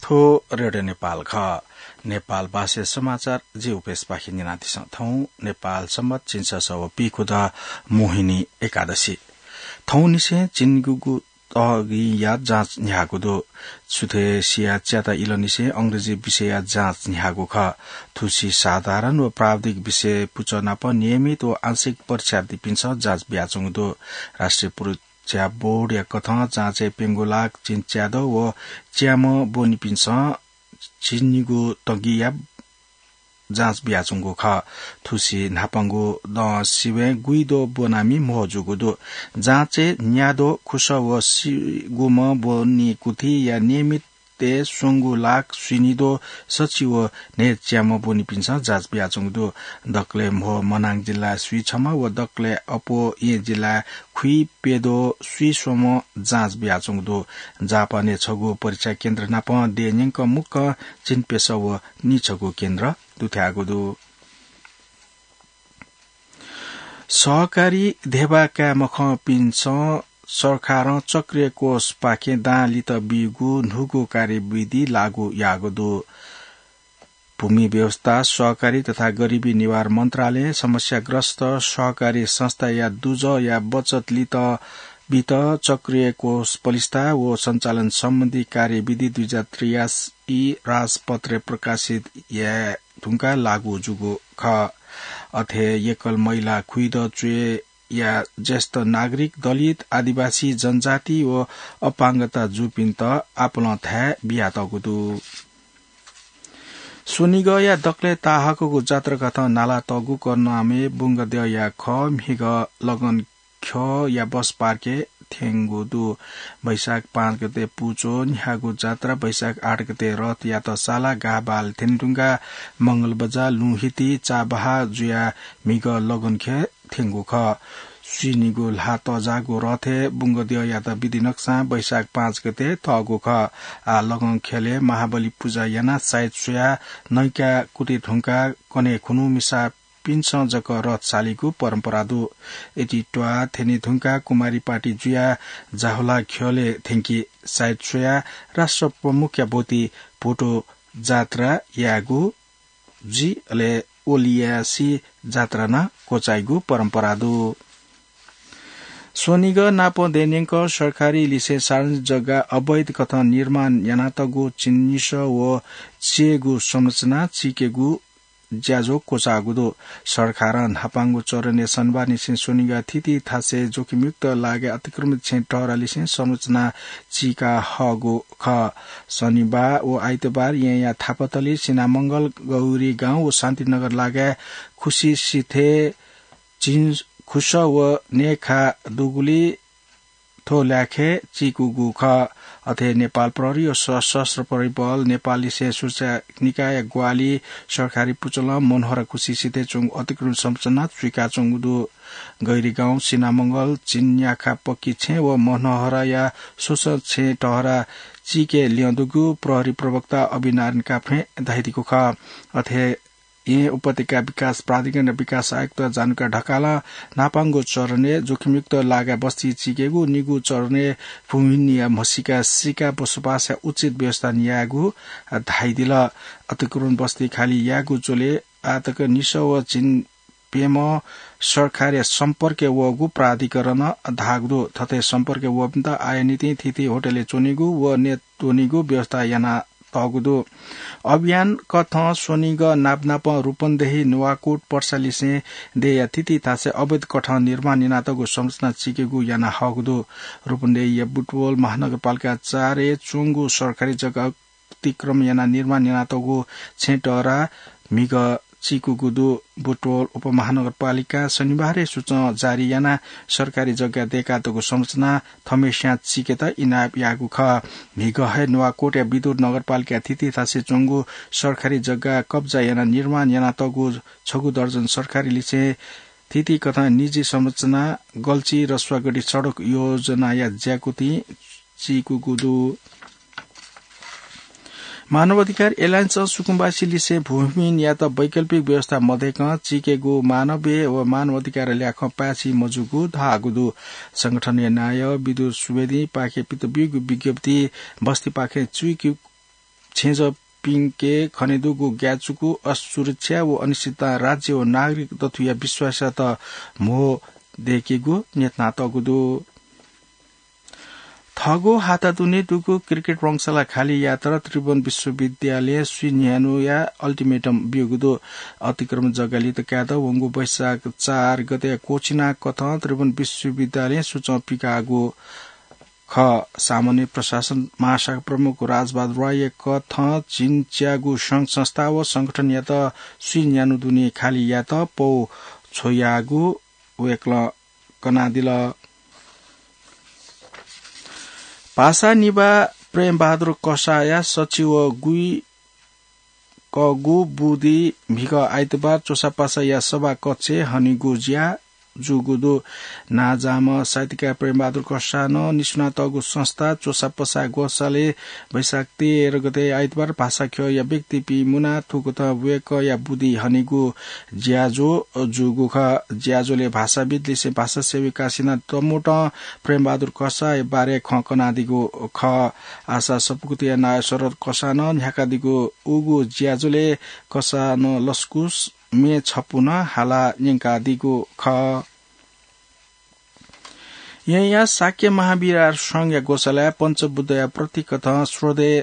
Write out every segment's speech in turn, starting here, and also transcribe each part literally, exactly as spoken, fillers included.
थ्व रेडियो नेपाल खः। नेपाल भाषाया समाचार जि उपेशपाखें न्यनादिसँ। थौं नेपाल सम्बत झिंछसः व पीखुदँ मोहिनी एकादशी। थौंनिसें झिंनिगूगु तगिंया जाँच न्ह्याःगु दु। सुथय् सिया च्याता इलंनिसें अंग्रेजी विषयया जाँच न्ह्याःगु खः। थुसी साधारण व प्राविधिक विषय पुचः नाप नियमित व आंशिक परीक्षार्थीपिन्सं जाँच बियाच्वंगु दु। राष्ट्रिय परीक्षा बोर्डया कथं जाँचय् प्यंगू लाख झिंच्याद्वः व च्याम्ह ब्वनीपिन्सं झिंनिगू तगिंया जाँच बियाच्वंगु खः। थुसी न्हापांगु दँ सिबें गुइद्वः ब्वनामि म्हो जूगु दु। जाँचय् न्याद्वः खुसः व सिगुम्ह ब्वनीकुथिया नियमितय् स्वंगू लाख स्वीनिद्वः सछि व न्हय्च्याम्ह ब्वनीपिन्सं जाँच बियाच्वंगु दु। दकलय् म्हो मनाङ जिल्ला स्वीछम्ह व दकलय् अप्वः येँ जिल्ला खुइप्यद्वः स्वीस्वम्ह जाँच बियाच्वंगु दु। जापानय् छगू परीक्षा केन्द्र नाप देय् न्यंक मुक्कं झिंप्यसः व निछगू केन्द्र दुथ्याःगु दु। सहकारी धेबा काये मखंपिन्सं सरकारं चक्रिय कोषपाखें दां लित बीगु न्हूगु कार्यविधि लागू याःगु दु। भूमि व्यवस्था, सहकारी तथा गरिबी निवारण मन्त्रालयं समस्याग्रस्त सहकारी संस्थाया दुजःया बचत लित बीत चक्रिय कोष पलिस्था व सञ्चालन सम्बन्धी कार्यविधि दुई हजार त्रियासी राजपत्रय् प्रकाशित याये धुंकाः लागू जूगु खः। अथे एकल महिला, खुइदँ च्वय्या ज्येष्ठ नागरिक, दलित, आदिवासी, जनजाति व अपाङ्गता जूपिन्त आपालं थाय् बियातःगु दु। स्वनिगःया दकलय् ताहाकःगु जात्राकथं नालातःगु करुणामय बुंगद्यःया खः म्हिगः लगन ख्यःया बस पार्कय् थ्यंगु दु। वैशाख पाँच गते पुचः न्ह्याःगु जात्रा वैशाख आठ गते रथयात साला गाःबालय् थ्यनेधुंकाः मंगलबजार, लुँहिति, चाबहाः जुयाः म्हिगः लगनख्यः थ्यंगु खः। स्वीनिगू ल्हाः तःजाःगु रथय् बुंगद्यःयात विधि नकसां वैशाख पाँच गते तःगु खः। आः लगनख्यलय् महाबलि पुजा यानाः साइत स्वयाः नैकाः कुतय् धुंकाः कन्हय् खुन्हु मिसा पिन्सं जक रथ सालीगु परम्परा दु। इतित्वाः थ्यनेधुंकाः कुमारी पार्टी जुयाः जाहुला ख्यलय् थ्यंकी। साइत स्वयाः राष्ट्र प्रमुखया ब्वति भोटो जात्रा यायेगु जुइ, अले ओलियासी जात्रा नं क्वचाइगु परम्परा दु। स्वनिगः नाप देय् न्यंक सरकारी लिसें सार्वजनिक जग्गा अवैध कथं निर्माण यानातःगु चिन्हिसः व चियेगु संरचना चिकेगु ज्याझ्वः क्वचाःगु दु। सरकारं न्हापांगु चरणय् शनिबारनिसें स्वनिगः थीथी थासय् जोखिमयुक्त लागाय् अतिक्रमित छेँ टहरा लिसें संरचना चीका हःगु खः। शनिबार व आइतबार येँया थापाथली, सिनामंगल, गौरीगाउँ व शान्तिनगर लागाय् खुसी सिथय् झिंखुसः व न्येखा दुगुलि थ्व ल्याखय् चीकूगु खः। अथे नेपाल प्रहरी व सशस्त्र प्रहरी बल, नेपाललिसें सुरक्षा निकायया ग्वाहालि, सरकारी पुचलं मनोहरा खुसी सिथय् च्वंगु अतिक्रमण संरचना चुइकाच्वंगु दु। गैरीगाउँ, सिनामंगल, झिंन्याखा पक्की छेँ व मनोहराया स्वसः छेँ टहरा चीके ल्यं दुगु प्रहरी प्रवक्ता अभिनारायण काफ्रें धयादीगु खः। अथे येँ उपत्यका विकास प्राधिकरणया विकास आयुक्त जानुका ढकालं न्हापांगु चरणय् जोखिमयुक्त लागाय् बस्ती चीकेगु, निगू चरणय् भूमिहीनया म्हसीका सीकाः बसोबासया उचित व्यवस्था यायेगु धयादिल। अतिक्रमण बस्ती खाली यायेगु झ्वलय् आःतक निसः व झिंप्यम्ह सरकारया सम्पर्कय् वःगु प्राधिकरणं धाःगु दु। थथे सम्पर्कय् वःपिन्त आःया निंतिं थीथी होटलय् च्वनेगु व नयेत्वनेगु व्यवस्था याना तःगु दु। अभियान कथं स्वनिगः नापनापं रूपन्देही, नुवाकोट, पर्सालिसें देय्‌या थीथी थासय् अवैध कथं निर्माण यानातःगु संरचना चीकेगु याना हःगु दु। रूपन्देहीया बुटवल महानगरपालिका चारय् च्वंगु सरकारी जग्गा अतिक्रमण यानाः निर्माण यानातःगु छेँ टहरा म्हिगः चीकूगु दु। बुटवल उपमहानगरपालिकां शनिबार हे सूचं जारी यानाः सरकारी जग्गाय् दय्‌कातःगु संरचना थम्हस्यां चीकेत इनाप याःगु खः। म्हिगः हे नुवाकोटया विदुर नगरपालिकाया थीथी थासय् च्वंगु सरकारी जग्गा कब्जा यानाः निर्माण यानातःगु छगू दर्जन सरकारी लिसें थीथी कथं निजी संरचना, गल्ची रसुवागढी सडक योजनाया ज्याकुथिं चीकूगु दु। मानव अधिकार एलायन्सं सुकुम्बासी लिसें भूमिहीनयात वैकल्पिक व्यवस्था मदय्‌कं चीकेगु मानवीय व मानव अधिकार ल्याखं पाय्‌छि मजूगु धाःगु दु। संगठनया नायः विदुर सुवेदीपाखें पित ब्यूगु विज्ञप्ति बस्तीपाखें चुइकु, छेँजःपिंके खनेदुगु ग्याचुकु असुरक्षा व अनिश्चितता राज्य व नागरिक दथुया विश्वासयात म्हो दय्केगु न्ह्यथनातःगु दु। थःगु हाता दुने दुगु क्रिकेट वंशला खाली यात र त्रिभुवन विश्वविद्यालयं स्वीन्यानुया अल्टिमेटम ब्यूगु दु। अतिक्रमण जग्गा लित कायेत वंगु वैशाख चार गते क्वःछिना कथं त्रिभुवन विश्वविद्यालयं सूचं पिकाःगु खः। सामान्य प्रशासन महाशाखा प्रमुख राजबहादुर रायया कथं झिंच्यागु संघ संस्था व संगठनयात स्वीन्यानु दुने खाली यात पौ छ्वयागु वय्कलं कनादिल। भाषा निभाः प्रेमबहादुर कसाःया सच्छि व गुइकःगु बुदिं म्हिगः आइतबार च्वसापासाया सभा कक्षय् हनेगु ज्या जूगु दु। नांजाःम्ह साहित्यकार प्रेमबहादुर कसाःनं निसुनातःगु संस्था च्वसापासा ग्वसालय् वैशाख तेह्र गते आइतबार भाषा ख्यःया व्यक्तिपिं मुनाः थुकथं वय्कःया बुदिं हनेगु ज्याझ्वः जूगु खः। ज्याझ्वलय् भाषाविद् लिसें भाषा सेवकासिनं तमोटं प्रेमबहादुर कसाःया बारे खँ कनादीगु खः। आशा सपुगुतया नायः शरद कसाःनं न्ह्याकादीगु उगु ज्याझ्वलय् कसाःनं लसकुस म्ये छपु नं हालाः न्यंकादीगु खः। येँया शाक्य महाविहार संघया ग्वसालय् पञ्चबुद्धया प्रतीककथं श्रद्धेय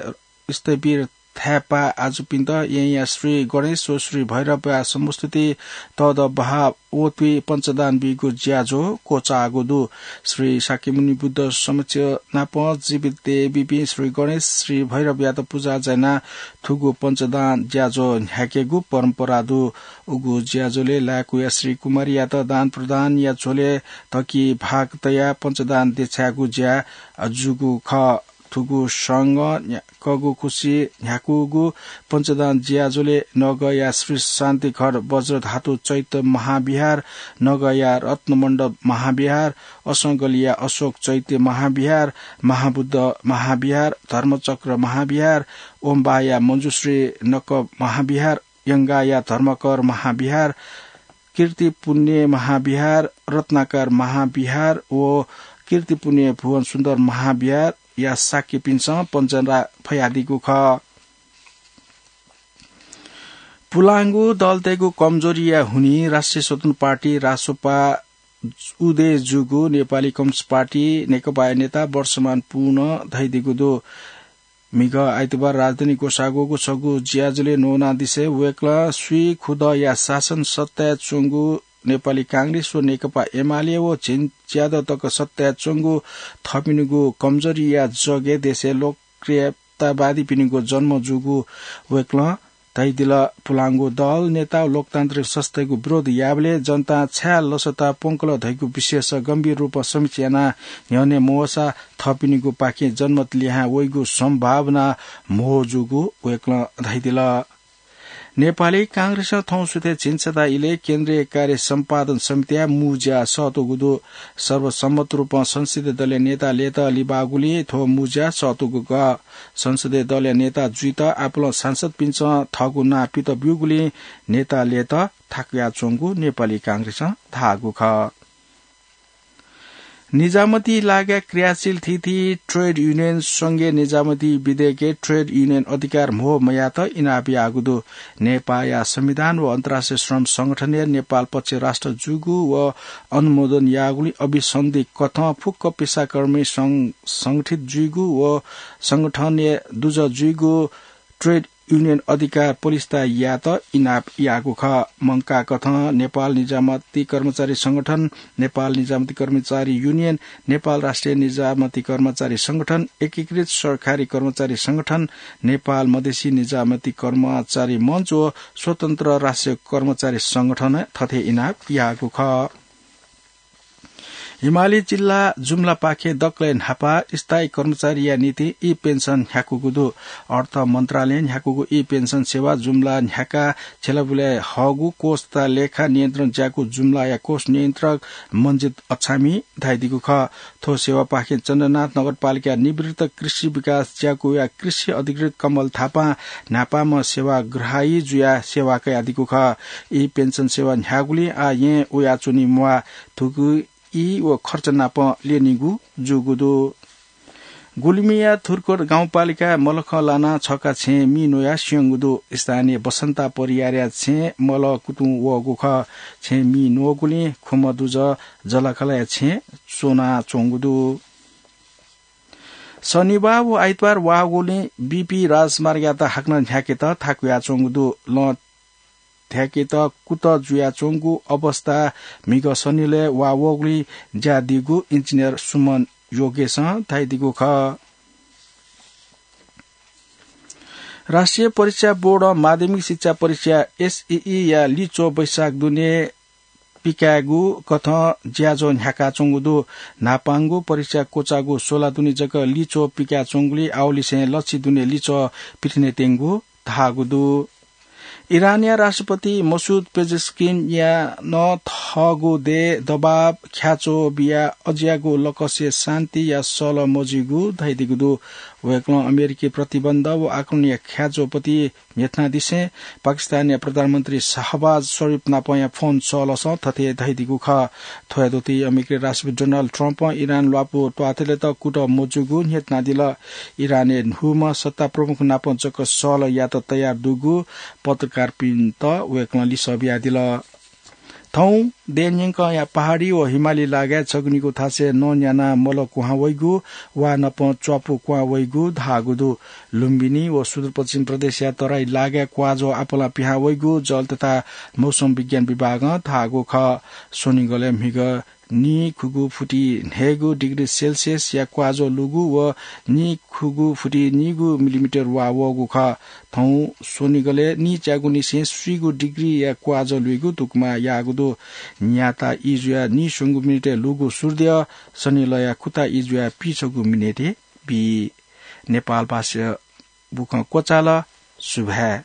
स्थविर थाय्पाः आजुपिन्त येँया श्री गणेश व श्री भैरवया समुपस्थिति तःदः बहाः वःतुइ पञ्चदान बीगु ज्याझ्वः क्वचाःगु दु। श्री शाक्यमुनि बुद्ध समक्ष नाप जीवित दयेबीपिं श्री गणेश, श्री भैरवयात पुजा यानाः थुगु पञ्चदान ज्याझ्वः न्ह्याकेगु परम्परा दु। उगु ज्याझ्वलय् लाय्कूया श्री कुमारीयात दान प्रदानया झ्वलय् तकी भाग तयाः पञ्चदान देछायेगु ज्या जूगु खः। थुगु संघं न्ह्याकःगु खुसि न्ह्याकूगु पञ्चदान ज्याझ्वलय् नगःया श्री शान्तिघर वज्रधातु चैत्य महाविहार, नगःया रत्नमण्डप महाविहार, असंगलिया अशोक चैत्य महाविहार, महाबुद्ध महाविहार, धर्मचक्र महाविहार, ओम्बाया मञ्जुश्री नकप महाविहार, यंगाया धर्मकर महाविहार, कीर्तिपुण्य महाविहार, रत्नाकर महाविहार व कीर्तिपुण्य भुवन सुन्दर महाविहारया शाक्यपिन्सं पञ्चदान फयादीगु खः। पुलांगु दलतय्गु कमजोरीया हुनिं राष्ट्रिय स्वतन्त्र पार्टी, रासोपा, उदय जूगु नेपाली कम्युनिस्ट पार्टी, नेकपाया नेता वर्षमान पुनं धयादीगु दु। म्हिगः आइतबार राजधानी ग्वसाः ग्वःगु छगू ज्याझ्वलय् न्वनादिसे वय्कलं स्वीखुदँया शासन सत्ताय् च्वंगु नेपाली कांग्रेस व नेकपा एमाले व झिंच्यादँ तक सत्ताय् च्वंगु थःपिनिगु कमजोरीया जगय् देशय् लोकप्रियतावादीपिनिगु जन्म जूगु वय्कलं धयादिल। पुलांगु दल, नेता व लोकतान्त्रिक संस्थाय्गु विरोध याःबलय् जनतां छाय् लसता प्वंकल धइगु विषयस गम्भीर रूपं समीक्षा यानाः न्ह्यःने मवःसा थःपिनिगु पाखें जनमत लिहां वइगु सम्भावना म्हो जूगु वय्कलं धयादिल। नेपाली कांग्रेसं थौं सुथय् झिंछता इलय् केन्द्रीय कार्य सम्पादन समितिया मू ज्या सःतूगु दु। सर्वसम्मत रूपं संसदीय दलया नेता लय्त लिबाःगुलिं थ्व मू ज्या सःतूगु खः। संसदीय दलया नेता जुइत आपालं सांसदपिन्सं थःगु नां पित ब्यूगुलिं नेता लय्त थाकुयाच्वंगु नेपाली कांग्रेसं धाःगु खः। निजामती लागाय् क्रियाशील थीथी ट्रेड युनियन संघीय निजामती विधेयकय् ट्रेड युनियन अधिकार म्हो मयायेत इनाप याःगु दु। नेपाःया संविधान व अन्तर्राष्ट्रिय श्रम संगठनया नेपाल पक्ष राष्ट्र जूगु व अनुमोदन याःगुलिं अभिसन्धि कथं फुक्क पेसाकर्मी सं-, संगठित जुइगु व संगठनया दुजः जुइगु ट्रेड युनियन अधिकार पलिस्था यायेत इनाप याःगु खः। मंकाः कथं नेपाल निजामती कर्मचारी संगठन, नेपाल निजामती कर्मचारी युनियन, नेपाल राष्ट्रिय निजामती कर्मचारी संगठन, एकीकृत सरकारी कर्मचारी संगठन, नेपाल मधेसी निजामती कर्मचारी मञ्च व स्वतन्त्र राष्ट्रिय कर्मचारी संगठनं थथे इनाप याःगु खः। हिमाली जिल्ला जुम्लापाखें दकलय् न्हापा स्थायी कर्मचारीया निंतिं ई पेन्सन न्ह्याकूगु दु। अर्थ मन्त्रालयं न्ह्याकूगु ई पेन्सन सेवा जुम्ला न्ह्याकाः छ्यलाबुलाय् हःगु कोष तथा लेखा नियन्त्रण ज्याकू जुम्लाया कोष नियन्त्रक मन्जित अछामिं धयादीगु खः। थ्व सेवापाखें चन्द्रनाथ नगरपालिका निवृत्त कृषि विकास ज्याकूया कृषि अधिकृत कमल थापां न्हापांम्ह सेवाग्राही जुयाः सेवा कयादीगु खः। ई पेन्सन सेवा न्ह्याःगुलिं आः येँ वयाच्वनी म्वाः। थुगु ई व खर्च नाप ल्यनीगु जूगु दु। गुल्मीया थुर्कोट गाउँपालिका मलखं लाना छका छेँ मि न्वया स्यंगु दु। स्थानीय बसन्ता परियारया छेँ मल कुतुं वःगु खः। छेँ मि न्वःगुलिं खुम्ह दुजः जलाखलया छेँ च्वनाच्वंगु दु। शनिबाः व आइतबार वाःगुलिं बीपी राजमार्गयात हाकनं न्ह्याकेत थाकुयाच्वंगु दु। लँ ध्याकेत कुतः जुयाच्वंगु अवस्था म्हिगः सनिलय् वा वःगुलिं ज्या दीगु इन्जिनियर सुमन योगेशं धयादीगु खः। राष्ट्रिय परीक्षा बोर्डं माध्यमिक शिक्षा परीक्षा, एसईई, या लिच्वः वैशाख दुने पिकायेगु कथं ज्याझ्वः न्ह्याकाच्वंगु दु। न्हापांगु परीक्षा क्वचाःगु सोला दुने जक लिच्वः पिकाच्वंगुलिं आवलिसें लच्छि दुने लिच्वः पिथने त्यंगु धाःगु दु। इरानया राष्ट्रपति मसुद पेजेस्किनया नं थःगु देय् दबाब ख्याच्वः बियाः अज्याःगु लकसय् शान्तिया सल मजुइगु धयादीगु दु। वय्कलं अमेरिकी प्रतिबन्ध व आक्रमणया ख्याच्वःपति न्ह्यथनादिसें पाकिस्तानया प्रधानमन्त्री शाहबाज शरीफ नापंया फोन सलसं थथे धयादीगु खः। थ्वया दथुइ अमेरिकी राष्ट्रपति डोनाल्ड ट्रम्पं इरान ल्वापु त्वाथलेत कुतः मजूगु न्ह्यथनादिल। इरानय् न्हूम्ह सत्ता प्रमुख नाप जक सल यात तयार दुगु पत्रकारपिन्त वय्कलं लिसः बियादिल। थौं देय् न्यंकंया पहाडी व हिमाली लागाय् छगू निगू थासय् नं न्यानाः मल क्वहां वइगु वा नपं च्वापु क्वहां वइगु धाःगु दु। लुम्बिनी व सुदूरपश्चिम प्रदेशया तराई लागाय् क्वाःझ्वः आपालं पिहां वइगु जल तथा मौसम विज्ञान विभागं धाःगु खः। स्वनिगलय् म्हिगः नीखुगू फुति न्हय्गू डिग्री सेल्सियसया क्वाःझ्वः लूगु व नीखुगू फुति नीगू मिलिमिटर वा वःगु खः। थौं स्वनिगलय् नीच्यागुनिसें स्वीगू डिग्रीया क्वाःझ्वः लूगु तुकमा याःगु दु। न्याता ई जुयाः नीस्वंगू मिनेटय् लूगु सूर्यद्यः सनिलया खुता ई जुयाः पीछगू मिनेटय् बी। नेपाल भाषा बुखँ क्वचाल। सुभाय्।